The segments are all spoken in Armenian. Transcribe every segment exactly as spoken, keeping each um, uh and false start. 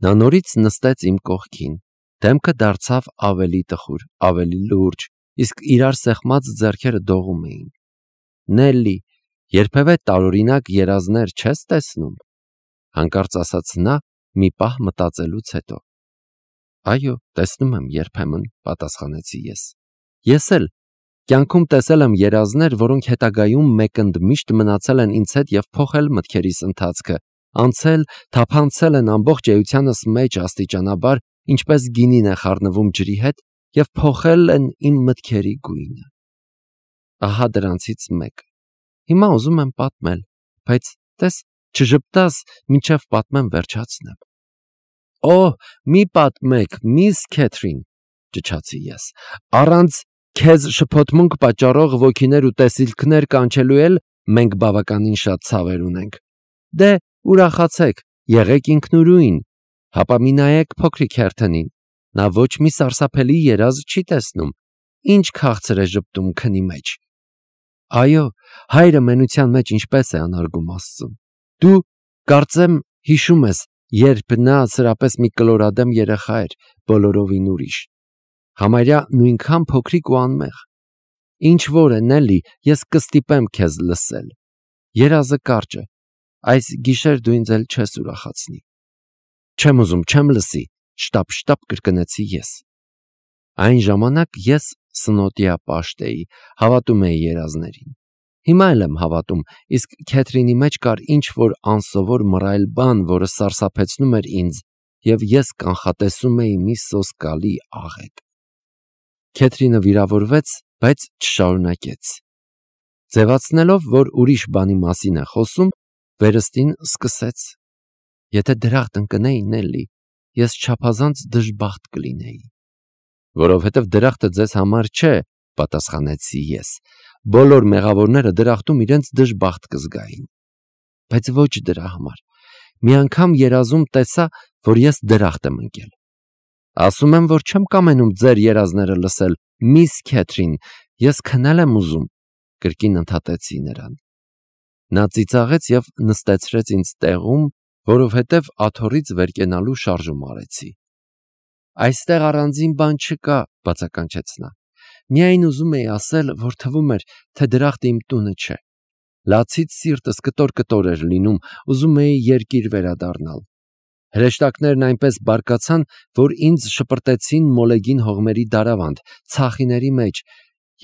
Նա նորից նստեց իմ կողքին, դեմքը դարձավ ավելի տխուր, ավելի լուրջ, իսկ իրար սեղմած ձեռքերը դողում էին։ Նելլի, երբևէ տարօրինակ երազներ չես տեսնում, հանկարծ ասաց նա մի պահ մտածելուց հետո։ Այո, տեսնում եմ երբեմն, պատասխանեցի ես։ Ես էլ կյանքում տեսել եմ երազներ, որոնք հետագայում մեկընդմիշտ մնացել են ինձ հետ եւ փոխել մտքերիս ընթացքը, անցել, թափանցել են ամբողջ էությանս մեջ աստիճանաբար, ինչպես գինին է խառնվում ջրի հետ եւ փոխել են իմ մտքերի գույնը։ Ահա դրանցից մեկը։ Հիմա ուզում եմ պատմել, բայց տես, չժպտաս, մինչև պատմեմ վերջացնեմ։ Օ, մի պատմեք, միս Քեթրին, ճչացի ես, առանց քեզ շփոթմունք պատճառող ոգիներ ու տեսիլքներ կանչելու էլ մենք բավականին շատ ցավեր ունենք։ Դե, ուրախացեք, եղեք ինքնուրույն, հապա մի նայեք փոքրիկ Հերթոնին, նա ոչ մի սարսափելի երազ չի տեսնում, ինչ քաղցր է ժպտում քնի մեջ։ Այո, հայրը մենության մեջ ինչպես է անարգում Աստծուն։ Դու կարծեմ հիշում ես, երբ նա սրապես մի կլորադեմ երեխա էր, բոլորովին ուրիշ, համարյա նույնքան փոքրիկ ու անմեղ։ Ինչ որ է, Նելլի, ես կստիպեմ քեզ լսել։ Երազը կարճ է, այս գիշեր դու ինձ էլ չես ուրախացնի։ Չեմ ուզում, չեմ լսի, շտապ-շտապ կրկնեցի ես։ Այն ժամանակ ես սնոտիա պաշտ էի, հավատում էի երազներին։ Հիմա էլ եմ հավատում, իսկ Քեթրինի մեջ կար ինչ-որ անսովոր մռայլ բան, որը սարսափեցնում էր ինձ, և ես կանխատեսում էի մի սոսկալի աղետ։ Քեթրինը վիրավորվեց, բայց չշարունակեց։ Ձևացնելով, որ ուրիշ բանի մասին է խոսում, վերստին սկսեց. Եթե դրախտ ընկնեի, Նելլի, ես չափազանց դժբախտ կլինեի։ Որովհետև դրախտը ձեզ համար չէ, պատասխանեցի ես։ Բոլոր մեղավորները դրախտում իրենց դժբախտ կզգային։ Բայց ոչ դրա համար։ Մի անգամ երազում տեսա, որ ես դրախտ եմ ընկել։ Ասում եմ, որ չեմ կամենում ձեր երազները լսել, միս Քեթրին, ես քնել եմ ուզում, կրկին ընդհատեցի նրան։ Նա ծիծաղեց և նստեցրեց ինձ տեղում, որովհետև աթոռից վեր կենալու շարժում արեցի։ Այստեղ առանձին բան չկա, բացականչեց նա։ Միայն ուզում էի ասել, որ թվում էր, թե դրախտը իմ տունը չէ։ Լացից սիրտս կտոր-կտոր էր լինում, ուզում էի երկիր վերադառնալ։ Հրեշտակներն այնպես բարկացան, որ ինձ շպրտեցին մոլեգին հողմերի դարավանդ, ցախիների մեջ,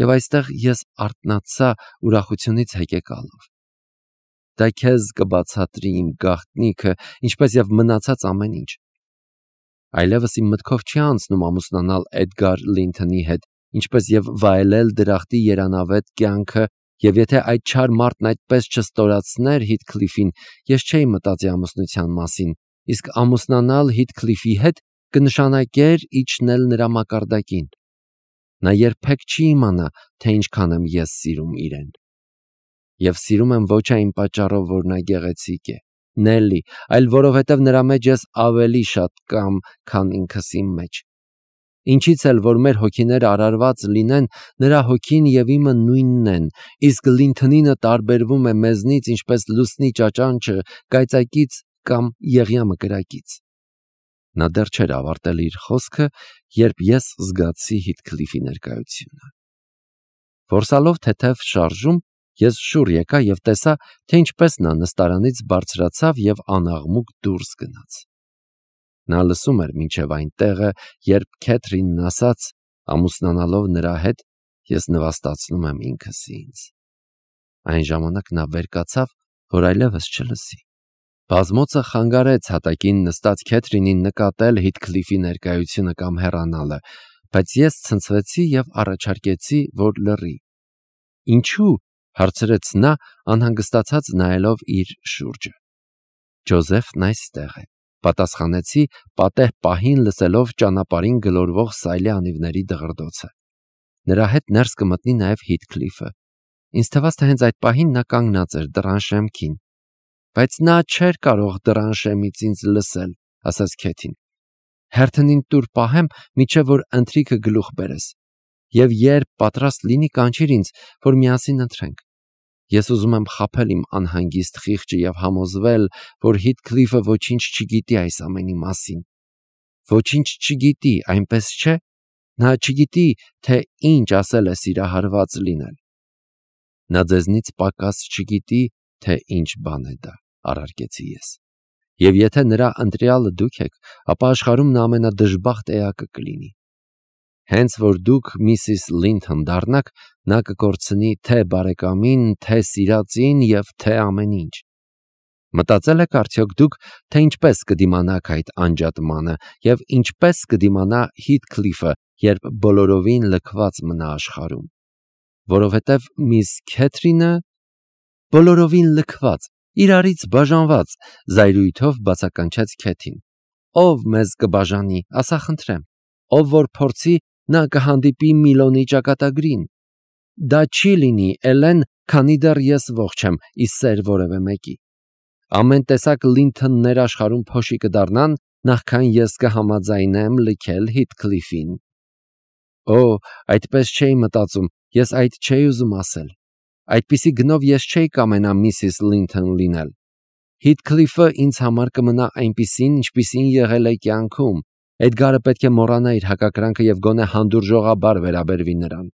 և այստեղ ես արթնացա ուրախությունից հեկեկալով։ Դա քեզ կբացատրի իմ գաղտնիքը, ինչպես և մնացած ամեն ինչ։ Այլևս իմ մտքով չի անցնում ամուսնանալ Էդգար Լինթոնի հետ, ինչպես և վայելել դրախտի երանավետ կյանքը, և եթե այդ չար մարդն այդպես չստորացներ Հիթքլիֆին, ես չէի մտածի ամուսնության մասին, իսկ ամուսնանալ Հիթքլիֆի հետ կնշանակեր իջնել նրա մակարդակին։ Նա երբեք չի իմանա, թե ինչքան եմ ես սիրում իրեն։ Եվ սիրում եմ ոչ այն պատճառով, որ նա գեղեցիկ է, Նելլի, այլ որովհետև նրա մեջ ես ավելի շատ կամ, քան ինքս իմ մեջ։ Ինչից էլ որ մեր հոգիները արարված լինեն, նրա հոգին և իմը նույնն են, իսկ Լինթոնինը տարբերվում է մեզնից, ինչպես լուսնի ճաճանճը կայծակից կամ եղյամը կրակից։ Նա դեռ չէր ավարտել իր խոսքը, երբ ես զգացի Հիթքլիֆի ներկայությունը։ Որսալով թեթև շարժում, ես շուռ եկա և տեսա, թե ինչպես նա նստարանից բարձրացավ և անաղմուկ դուրս գնաց։ Նա լսում էր մինչև այն տեղը, երբ Քեթրինն ասաց, ամուսնանալով նրա հետ, ես նվաստացնում եմ ինքս ինձ։ Այն ժամանակ նա վեր կացավ, որ այլևս չլսի։ Բազմոցը խանգարեց հատակին նստած Քեթրինին նկատել Հիթքլիֆի ներկայությունը կամ հեռանալը, բայց ես ցնցվեցի և առաջարկեցի, որ լռի։ Ինչու՞, հարցրեց նա, անհանգստացած նայելով իր շուրջը։ Ջոզեֆն այստեղ է, պատասխանեցի, պատեհ պահին լսելով ճանապարհին գլորվող սայլի անիվների դղրդոցը։ Նրա հետ ներս կմտնի նաև Հիթքլիֆը։ Ինձ թվաց, թե հենց այդ պահին նա կանգնած էր դռան շեմքին։ Բայց նա չէր կարող դռան շեմից ինձ լսել, ասաց Քեթին։ Հերթոնին տուր պահեմ, մինչև որ ընթրիքը գլուխ բերես, և երբ պատրաստ լինի, կանչիր ինձ, որ միասին ընթրենք։ Ես ուզում եմ խաբել իմ անհանգիստ խիղճը և համոզվել, որ Հիթքլիֆը ոչինչ չգիտի այս ամենի մասին։ Ոչինչ չգիտի, այնպես չէ՞։ Նա չգիտի, թե ինչ ասել է սիրահարված լինել։ Նա ձեզնից պակաս չգիտի, թե ինչ բան է դա, առարկեցի ես։ Եվ եթե նրա ընտրյալը դուք եք, ապա աշխարհում նա ամենադժբախտ էակը կլինի։ Հենց որ դուք միսիս Լինթոն դառնաք, նա կկորցնի թե բարեկամին, թե սիրածին և թե ամեն ինչ։ Մտածել եք արդյոք դուք, թե ինչպես կդիմանաք այդ անջատմանը և ինչպես կդիմանա Հիթքլիֆը, երբ բոլորովին լքված մնա աշխարհում։ Որովհետև միս Քեթրինը բոլորովին լքված, իրարից բաժանված, զայրույթով բացականչեց Քեթին։ Ով մեզ կբաժանի, ասա խնդրեմ, ով որ փորձի, նա կհանդիպի Միլոնի ճակատագրին։ Դա չի լինի, Էլեն, քանի դեռ ես ողջ եմ, ի սեր որևէ մեկի։ Ամեն տեսակ Լինթոններ աշխարհում փոշի կդառնան, նախքան ես կհամաձայնեմ լքել Հիթքլիֆին։ Օ, այդպես չէի մտածում, ես այդ չէի ուզում ասել։ Այդպիսի գնով ես չէի կամենա միսիս Լինթոն լինել։ Հիթքլիֆը ինձ համար կմնա այնպիսին, ինչպիսին եղել է կյանքում։ Էդգարը պետք է մոռանա իր հակակրանքը և գոնե հանդուրժողաբար վերաբերվի նրան։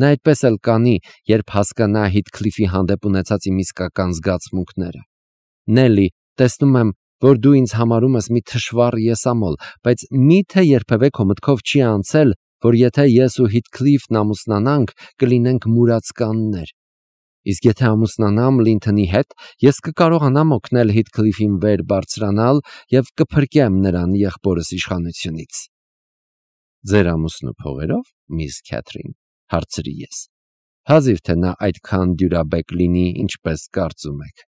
Նա այդպես էլ կանի, երբ հասկանա Հիթքլիֆի հանդեպ ունեցած իմ իսկական զգացմունքները։ Նելի, տեսնում եմ, որ դու ինձ համարում ես մի թշվառ եսամոլ, բայց մի՞թե երբևէ քո մտքով չի անցել, որ եթե ես ու Հիթքլիֆն ամուսնանանք, կլինենք մուրացկաններ։ Իսկ եթե ամուսնանամ Լինթոնի հետ, ես կկարողանամ օգնել Հիթքլիֆին վեր բարձրանալ և կփրկեմ նրան եղբորս իշխանությունից։ Ձեր ամուսնու փողերով, միս Քեթրին, հարցրի ես։ Հազիվ թե նա այդքան դյուրաբեկ լինի, ինչպես կարծում եք։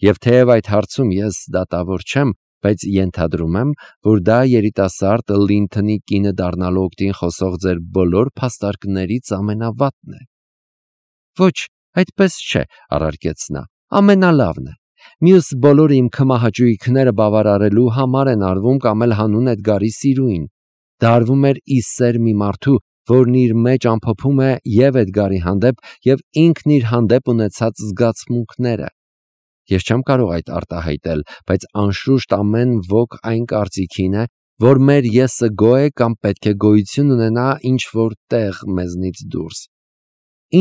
Եվ թեև այդ հարցում ես դատավոր չեմ, բայց ենթադրում եմ, որ դա երիտասարդ Լինթոնի կինը դառնալու օգտին խոսող ձեր բոլոր փաստարկներից ամենավատն է։ Ոչ, այդպես չէ, առարկեց նա, ամենալավն է։ Մյուս բոլորը իմ քմահաճույքները բավարարելու համար են արվում կամ էլ հանուն Էդգարի սիրուին։ Դա արվում էր ի սեր մի մարդու, որն իր մեջ ամփոփում է և Էդգարի հանդեպ, և ինքն իր հանդեպ ունեցած զգացմունքները։ Ես չեմ կարող այդ արտահայտել, բայց անշուշտ ամեն ոք այն կարծիքին է, որ մեր եսը գոյ է կամ պետք է գոյություն ունենա ինչ-որ տեղ մեզնից դուրս։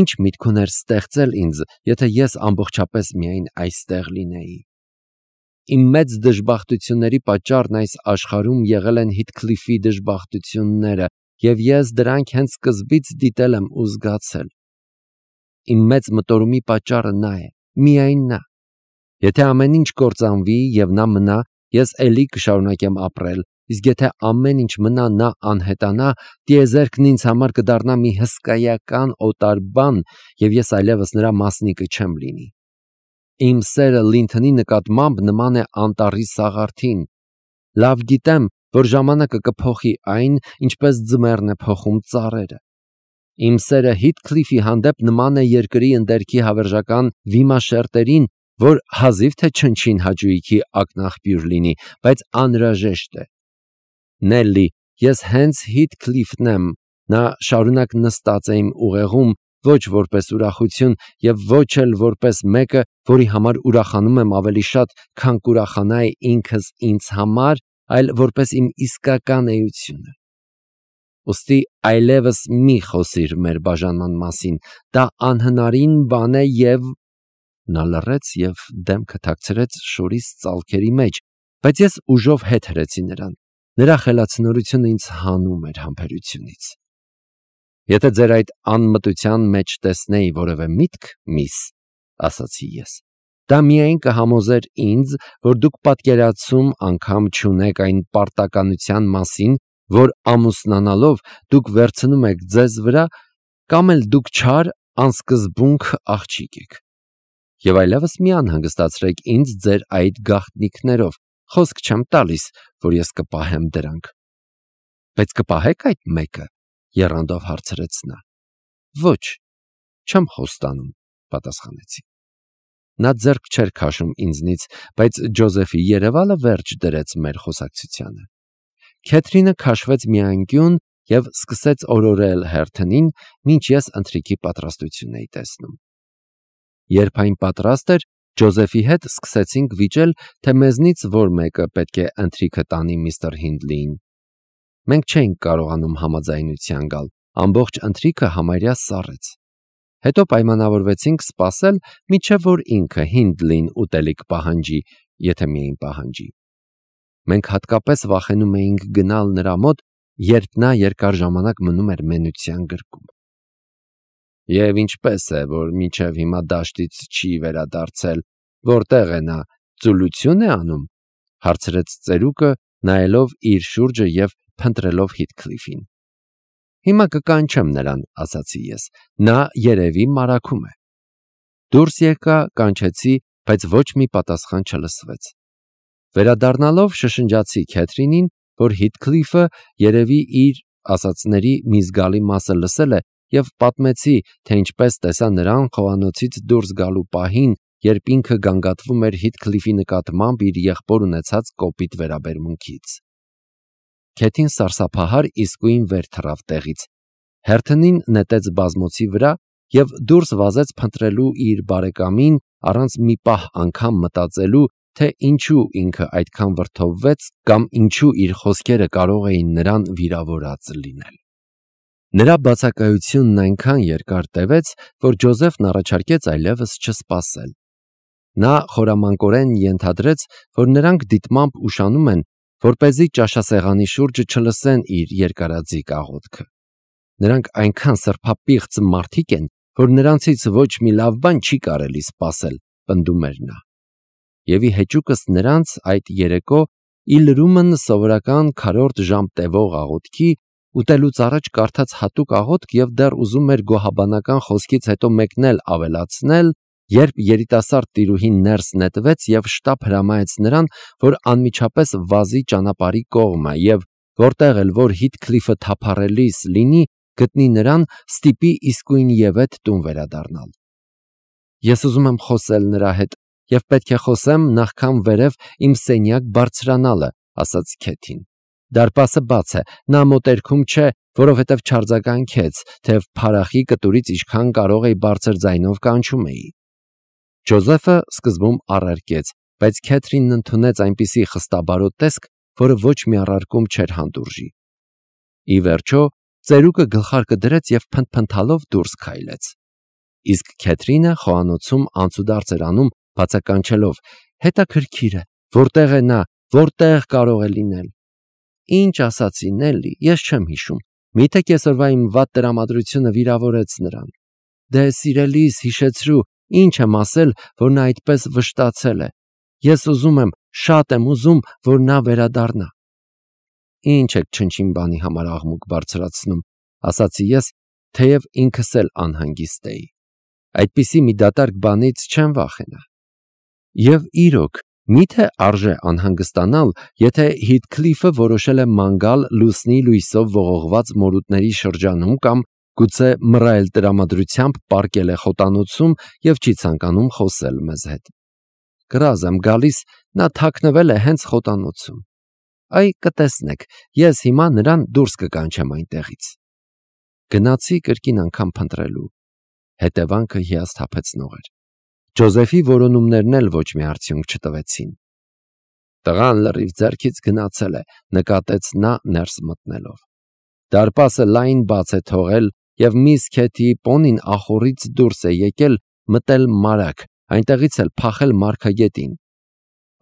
Ինչ միտք ուներ ստեղծել ինձ, եթե ես ամբողջապես միայն այստեղ լինեի։ Իմ մեծ դժբախտությունների պատճառն այս աշխարհում եղել են Հիթքլիֆի դժբախտությունները, և ես դրանք հենց սկզբից դիտել եմ ու զգացել։ Իմ մեծ մտորումի պատճառը նա է, միայն նա։ Եթե ամեն ինչ կործանվի և նա մնա, ես էլի կշարունակեմ ապրել, իսկ եթե ամեն ինչ մնա, նա անհետանա, տիեզերքն ինձ համար կդառնա մի հսկայական օտար բան, և ես այլևս նրա մասնիկը չեմ լինի։ Իմ սերը Լինթոնի նկատմամբ նման է անտառի սաղարթին։ Լավ գիտեմ, որ ժամանակը կփոխի այն, ինչպես ձմեռն է փոխում ծառերը։ Իմ սերը Հիթքլիֆի հանդեպ նման է երկրի ընդերքի հավերժական վիմաշերտերին, որ հազիվ թե չնչին հաճույքի ակնաղբյուր լինի, բայց անհրաժեշտ է։ Նելի, ես հենց Հիթքլիֆն եմ, նա շարունակ նստած է իմ ուղեղում, ոչ որպես ուրախություն և ոչ էլ որպես մեկը, որի համար ուրախանում եմ ավելի շատ, քան կուրախանայի ինքս ինձ համար, այլ որպես իմ իսկական էությունը։ Ուստի այլևս մի խոսիր մեր բաժանման մասին, դա անհնարին բան է և… Նա լռեց և դեմքը թաքցրեց շորիս ծալքերի մեջ, բայց ես ուժով հետ հրեցի նրան։ Նրա խելացնորությունը ինձ հանում էր համբերությունից։ Եթե ձեր այդ անմտության մեջ տեսնեի որևէ միտք, միս, ասացի ես, դա միայն կհամոզեր ինձ, որ դուք պատկերացում անգամ չունեք այն պարտականության մասին, որ ամուսնանալով դուք վերցնում եք ձեզ վրա, կամ էլ դուք չար, անսկզբունք աղջիկ եք։ Եվ այլևս մի անհանգստացրեք ինձ ձեր այդ գաղտնիքներով, խոսք չեմ տալիս, որ ես կպահեմ դրանք։ Բայց կպահե՞ք այդ մեկը, եռանդով հարցրեց նա։ Ոչ, չեմ խոստանում, պատասխանեցի։ Նա ձեռք չէր քաշում ինձնից, բայց Ջոզեֆի երևալը վերջ դրեց մեր խոսակցությանը։ Քեթրինը քաշվեց մի անկյուն և սկսեց օրորել հերթնին, մինչ ես ընթրիքի պատրաստություն էի տեսնում։ Երբ այն պատրաստ էր, Ջոզեֆի հետ սկսեցինք վիճել, թե մեզնից որ մեկը պետք է ընթրիքը տանի միստր Հինդլիին։ Մենք չէինք կարողանում համաձայնության գալ, ամբողջ ընթրիքը համարյա սառեց։ Հետո պայմանավորվեցինք սպասել, մինչև որ ինքը Հինդլին ուտելիք պահանջի, եթե միայն պահանջի։ Մենք հատկապես վախենում էինք գնալ նրա մոտ, երբ նա երկար ժամանակ մնում էր մենության գրկում։ Եվ ինչպես է, որ մինչև հիմա դաշտից չի վերադարձել, որտեղ է նա, ծուլություն է անում, հարցրեց ծերուկը, նայելով իր շուրջը և փնտրելով Հիթքլիֆին։ Հիմա կկանչեմ նրան, ասացի ես, նա երևի մարաքում է։ Դուրս եկա, կանչեցի, բայց ոչ մի պատասխան չլսվեց։ Վերադառնալով շշնջացի Քեթրինին, որ Հիթքլիֆը երևի իր ասածների մի զգալի մասը լսել է, և պատմեցի, թե ինչպես տեսա նրան խոհանոցից դուրս գալու պահին, երբ ինքը գանգատվում էր Հիթքլիֆի նկատմամբ իր եղբոր ունեցած կոպիտ վերաբերմունքից։ Քեթին սարսափահար իսկույն վեր թռավ տեղից, հերթնին նետեց բազմոցի վրա և դուրս վազեց փնտրելու իր բարեկամին, առանց մի պահ անգամ մտածելու, թե ինչու ինքը այդքան վրդովվեց կամ ինչու իր խոսքերը կարող էին նրան վիրավորած լինել։ Նրա բացակայությունն այնքան երկար տևեց, որ Ջոզեֆն առաջարկեց այլևս չսպասել։ Նա խորամանկորեն ենթադրեց, որ նրանք դիտմամբ ուշանում են, որպեսզի ճաշասեղանի շուրջը չլսեն իր երկարաձիգ աղոթքը։ Նրանք այնքան սրբապիղծ մարդիկ են, որ նրանցից ոչ մի լավ բան չի կարելի սպասել, պնդում էր նա։ Եվ ի հեճուկս նրանց այդ երեկո ի լրումն սովորական քառորդ ժամ տևող աղոթքի, ուտելուց առաջ կարդաց հատուկ աղոթք և դեռ ուզում էր գոհաբանական խոսքից հետո մեկն էլ ավելացնել, երբ երիտասարդ տիրուհին ներս նետվեց և շտապ հրամայեց նրան, որ անմիջապես վազի ճանապարհի կողմը և որտեղ էլ որ Հիթքլիֆը թափառելիս լինի, գտնի նրան, ստիպի իսկույնևեթ տուն վերադառնալ։ Ես ուզում եմ խոսել նրա հետ և պետք է խոսեմ նախքան վերև իմ սենյակ բարձրանալը, ասաց Քեթին։ Դարպասը բաց է, նա մոտերքում չէ, որովհետև չարձագանքեց, թեև փարախի կտուրից ինչքան կարող էի բարձր ձայնով կանչում էի։ Ջոզեֆը սկզբում առարկեց, բայց Քեթրինն ընդունեց այնպիսի խստաբարոտ տեսք, որը ոչ մի առարկում չէր հանդուրժի։ Ի վերջո, ծերուկը գլխարկը դրեց և փնթփնթալով դուրս քայլեց։ Իսկ Քեթրինը խոհանոցում անցուդարձ էր անում, բացականչելով. հետաքրքիր է, որտեղ է նա, որտեղ կարող է լինել։ Ինչ ասացի, Նելլի, ես չեմ հիշում, միթե կեսօրվա իմ վատ տրամադրությունը վիրավորեց նրան։ Դե սիրելիս, հիշեցրու, ինչ եմ ասել, որ նա այդպես վշտացել է։ Ես ուզում եմ, շատ եմ ուզում, որ նա վերադառնա։ Ինչ եք չնչին բանի համար աղմուկ բարձրացնում, ասացի ես, թեև ինքս էլ անհանգիստ էի։ Այդպիսի մի դատարկ բանից չեմ վախենա։ Եվ իրոք, միթե արժե անհանգստանալ, եթե Հիթքլիֆը որոշել է ման գալ լուսնի լույսով ողողված մորուտների շրջանում կամ գուցե մռայլ տրամադրությամբ պառկել է խոտանոցում և չի ցանկանում խոսել մեզ հետ։ Կռազ եմ գալիս, նա թաքնվել է հենց խոտանոցում։ Այ կտեսնեք, ես հիմա նրան դուրս կկանչեմ այնտեղից։ Գնացի կրկին անգամ փնտրելու։ Հետևանքը հիասթափեցնող էր։ Ջոզեֆի որոնումներն էլ ոչ մի արդյունք չտվեցին։ Տղան լրիվ ձեռքից գնացել է, նկատեց նա ներս մտնելով։ Դարպասը լայն բաց է թողել և միս Քեթիի պոնին ախոռից դուրս է եկել, մտել մարագ, այնտեղից էլ փախել մարգագետին։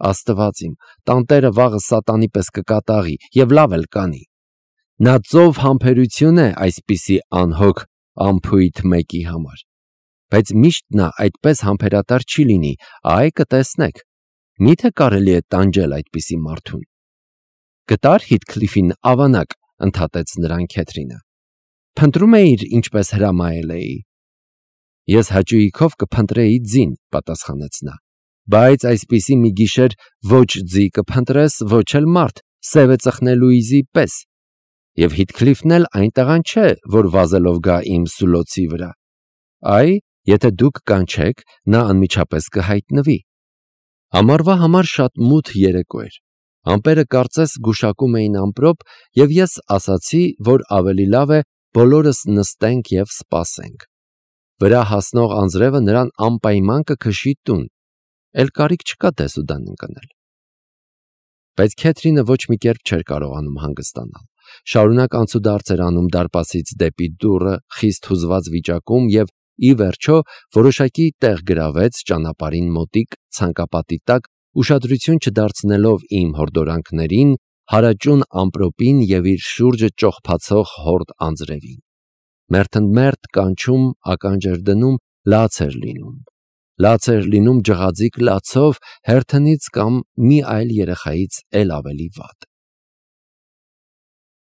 Աստված իմ, տանտերը վաղը սատանի պես կկատաղի և լավ էլ կանի։ Նա ծով համբերություն է այսպիսի անհոգ անփույթ մեկի համար։ Բայց միշտ նա այդպես համբերատար չի լինի, այ կտեսնեք։ Միթե կարելի է տանջել այդպիսի մարդուն։ Գտա՞ր Հիթքլիֆին ավանակ, ընդհատեց նրան Քեթրինը։ Փնտրում էիր, ինչպես հրամայել էի։ Ես հաճույքով կփնտրեի ձին, պատասխանեց նա, բայց այսպիսի մի գիշեր ոչ ձի կփնտրես, ոչ էլ մարդ, սևը ծխնելուիզի պես։ Եվ Հիթքլիֆն էլ այն տղան չէ, որ վազելով գա իմ սուլոցի վրա։ Այ, եթե դուք կանչեք, նա անմիջապես կհայտնվի։ Ամառվա համար շատ մութ երեկո էր։ Ամպերը կարծես գուշակում էին ամպրոպ, և ես ասացի, որ ավելի լավ է բոլորս նստենք և սպասենք։ Վրա հասնող անձրևը նրան անպայման կքշի տուն, էլ կարիք չկա դեսուդան ընկնել։ Բայց Քեթրինը ոչ մի կերպ չէր կարողանում հանգստանալ։ Շարունակ անցուդարձ էր անում դարպասից դեպի դուռը խիստ հուզված վիճակում և ի վերջո որոշակի տեղ գրավեց ճանապարհին մոտիկ ցանկապատի տակ, ուշադրություն չդարձնելով իմ հորդորանքներին, հարաճուն ամպրոպին և իր շուրջը ճոխփացող հորդ անձրևին։ Մերթընդմերթ կանչում, ականջ էր դնում, լաց էր լինում։ Լաց էր լինում ջղաձիգ լացով հերթնից կամ մի այլ երեխայից էլ ավելի վատ։